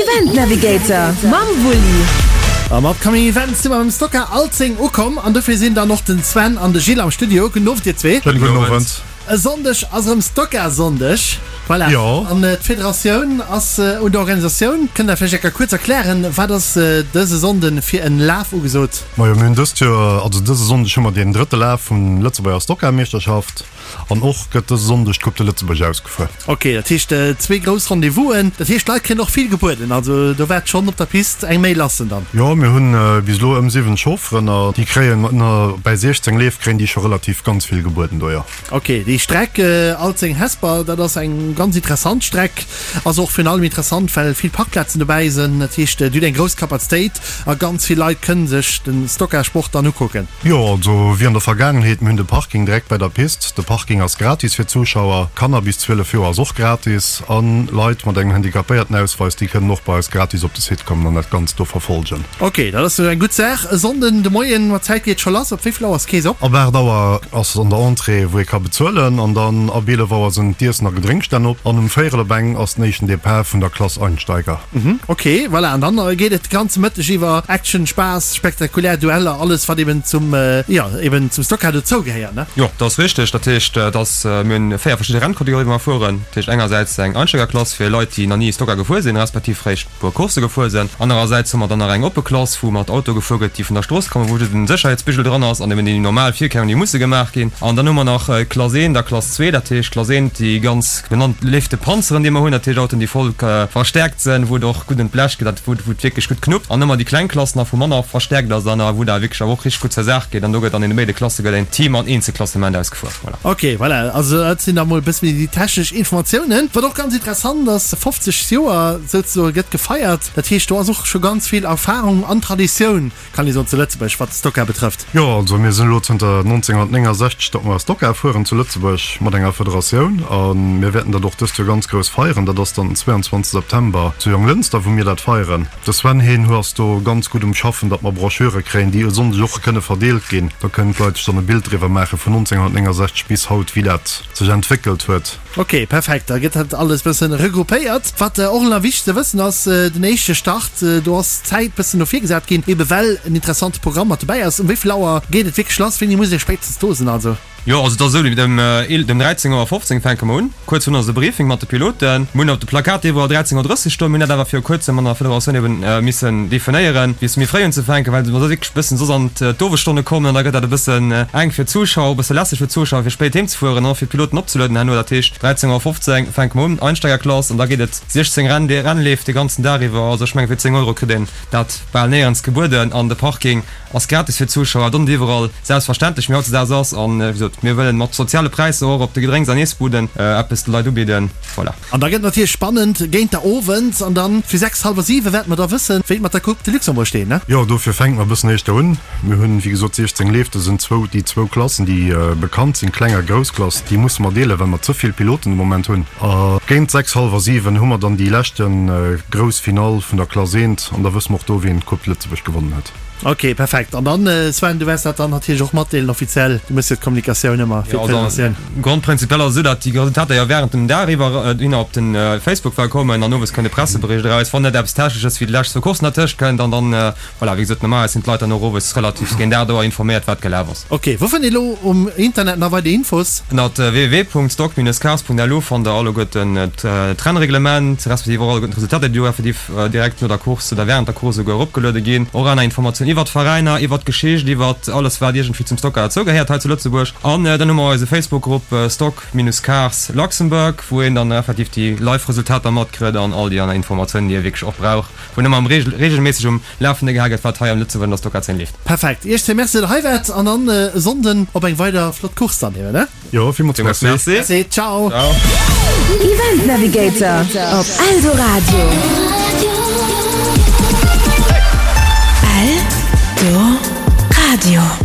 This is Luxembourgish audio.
Event Navigator mam Wulli. Am Upcoming Event si mer beim Stocker Alzeng ukomm an dofir sinn dann och den Sven an de Gilles am Studio. Gudden Owend dir zwee. Schéinen gudden Owend. E Sonndeg ass erëm Stocker-Sonndeg. Voilà. Jo. An d'Federatioun ass un der Organisatioun. Kënnt der vläicht eng Kéier kuerz erklären, wat ass dëse Sonnde fir en Laf ugesot? Majo, mir hunn dëst Joer, also dëse Sonndeg hu mer deen drëtte Laf vun Lëtzebuerger Stocker-Meeschterschaft. An och gëtt dëse Sonndeg d'Coupe de Lëtzebuerg ausgefuer. Ok, dat heescht zwee grouss Rendez-vousen. Dat heescht d'Leit kréien och vill gebueden, also do waart schonn op der Pist eng Méi lassen dann? Jo, mir hunn bis elo ëm 7 Chaufferen a déi kréien bäi 16 Leef kréien déi scho relativ ganz vill gebueden do, jo. Ok, déi Streck Alzeng-Hesper, dat ass eng ganz interessant Streck. Ass och virun allem interessant, well vill Parkplazen dobäi sinn. Dat heescht, Dir hutt eng grouss Kapazitéit a ganz vill Leit kënne sech de Stocker-Sport dann ukucken. Jo, also wéi an der Vergaangenheet, mir hunn de Parking direkt bei der Pist. De Parking ass gratis fir d'Zuschauer. Kanner bis 12 Joer ass och gratis a Leit mat engem Handicapéiertenausweis, déi kënnen och bei eis gratis op de Site kommen an dat Ganzt do verfolgen. Ok, dat ass jo eng gutt Saach. E Sonnden de Moien, mat Zäit geet scho lass. Op wéi vill Auer ass d'Keess op? Ab 8 Auer ass an der Entrée, wou ee ka bezuelen an dann ab 11 Auer sinn d'Iessen a Gedrénkstänn op an um véierel op eng ass den éischten Depart vun der Klass Einsteiger. Ok, voilà, an dann geet et de ganze Mëtteg iwwer Action, Spaass, spektakulär Dueller, alles wat eben zum, jo, eben zum Stockcar dozou gehéiert, ne? Jo, dat ass richteg. Dat heescht, dass mir hunn 4 verschidde Rennkategorien, wou mer fueren. Dat heescht engersäits eng Einsteigerklass fir Leit, déi nach ni Stockcar gefuer sinn, respektiv réischt puer Coursse gefuer sinn. Anerersäits hu mer dann nach eng oppe Klass, wou mat Auto gefuer gëtt, déi vun der Strooss kommen, wou just en Sécherheetsbigel dran ass an eben déi normal Virkéierungen, déi musse gemaach ginn. An dann hu mer nach Klass 1 a Klass 2, dat heescht Klass 1, déi ganz genannt léifte Panzeren, déi mer hunn, dat heescht Autoen, déi voll verstärkt sinn, wou et och gutt un d'Blech geet, dat wou et wierklech gutt knuppt. An ëmmer déi kleng Klass nach, wou manner verstärkt ass an wou da wierklech awer och richteg gutt zur Saach geet. An do gëtt an deene béide Klasse gëtt een Team an Eenzelklassement ausgefuer. Voilà. Ok, voilà, also dat sinn da mol e bësse méi déi technesch Informatiounen. Wat och ganz interessant ass, 50 Joer souzesoe gëtt gefeiert. Dat heescht, do ass och scho ganz vill Erfarung an Traditioun, kann ee soen, zu Lëtzebuerg, wat Stocker betrëfft. Jo, also mir sinn elo zënter 1969, datt mer Stocker fueren zu Lëtzebuerg mat enger Federatioun a mir wäerten dat och dëst Joer ganz grouss feieren. Dat ass dann den 22 September zu Jonglënster, wou mir dat feieren. De Sven heen hu ass do ganz gutt um Schaffen, datt mer Broschüre kréien, déi e Sonndeg och kënne verdeelt ginn. Da kënnen d'Leit sech dann e Bild driwwer maache vun 1969 bis haut, wéi dat sech entwéckelt huet. Ok, perfekt, da gëtt dat alles bëssen regroupéiert. Wat och nach wichteg ze wëssen ass, den éischte Start, do ass d'Zäit bëssen no vir gesat ginn, ebe well en interessante Programm mat dobäi ass. Um wéi vill Auer geet et wierklech lass? Wéini muss ee spéitstens do sinn also? Jo, also et ass esou, dem dem 13 Auer 15 fänke mer un. Kuerz virun ass e Briefing mat de Piloten. Mir hunn op de Plakat iwwerall 13 Auer 30 stoen. Mir hunn dat awer viru kuerzem an der Federatioun eben missen definéieren, wéi se méi fréi unzefänken, well mer soss wierklech e bëssen soss an d'Owesstonne kommen an da gëtt dat e bëssen enk fir d'Zuschauer, e bësse lässeg fir d'Zuschauer fir spéit heem ze fueren an och fir d'Piloten opzelueden herno. Dat heescht 13 Auer 15 fänke mer un, Einsteigerklass, an da geet et 16 Renn, Rennleef de ganzen Dag iwwer. Also ech menge fir 10 Euro kritt een dat bal néierens gebueden an de Parking ass gratis fir d'Zuschauer, dont iwwerall selbstverständlech, méi hautzedags ass. An wéi gesot, mir wëllen mat soziale Präisser och op de Gedrénks an Iessbuden eppes de Leit ubidden. Voilà. An da gëtt natierlech spannend géint der Owend an dann fir 6, hallwer 7 wäerte mer da wëssen, wéi et mat der Coupe de Luxembourg steet, ne? Jo, dofir fänke mer e bëssen éischter un. Mir hunn, wéi gesot, 16 Leef. Do sinn zwou, déi zwou Klassen, déi bekannt sinn, Kleng a Grouss Klass, déi musse mer deelen, well mer ze vill Piloten de Moment hunn. A géint 6, hallwer 7 hu mer dann déi leschte grouss Finall vun der Klass eent an da wësse mer och do, wien d'Coupe de Lëtzebuerg gewonnen huet. Ok, perfekt. An dann, Sven, du wäers dat dann natierlech och matdeelen offiziell. Du méchs jo d'Kommunikatioun ëmmer fir d'Federatioun. Grondprinzipiell ass et esou, datt déi Resultater jo wärend dem Dag iwwer hinner op de Facebook well kommen an owes kënnt e Pressebericht eraus, wann net eppes Technesches wéi déi lescht zwou Courssen dertëscht kënnt. An dann, voilà, wéi gesot, normalerweis sinn d'Leit dann och owes relativ géint 8 Auer informéiert, wat gelaf ass. Ok, wou fënnt ee lo um Internet nach weider Infos? Ënnert www.stock-cars.lu fannt der alleguerten d'Rennreglement, respektiv och alleguerten d'Resultater, déi do effektiv direkt no der Course oder während der Course esouguer eropgeluede ginn. Och aner Informatiounen iwwert d'Veräiner, iwwert d'Geschicht, iwwert alles wat iergendwéi zum Stocker derzou gehéiert hei zu Lëtzebuerg. An dann hu mer eise Facebook-Grupp Stock-Cars Luxembourg, wou een dann effektiv déi Live-Resultater matkritt an all déi aner Informatiounen, déi ee wierklech och brauch, wou een ëmmer reegelméisseg um Lafende gehal gëtt, wat hei am Lëtzebuerg an der Stocker-Zeen leeft. Perfekt, Iech zwee Merci, datt der hei waart an dann e Sonnden op eng weider flott Course dann eben, ne? Jo, villmools merci. Merci, ciao. Event Navigator op Eldoradio. Eldoradio.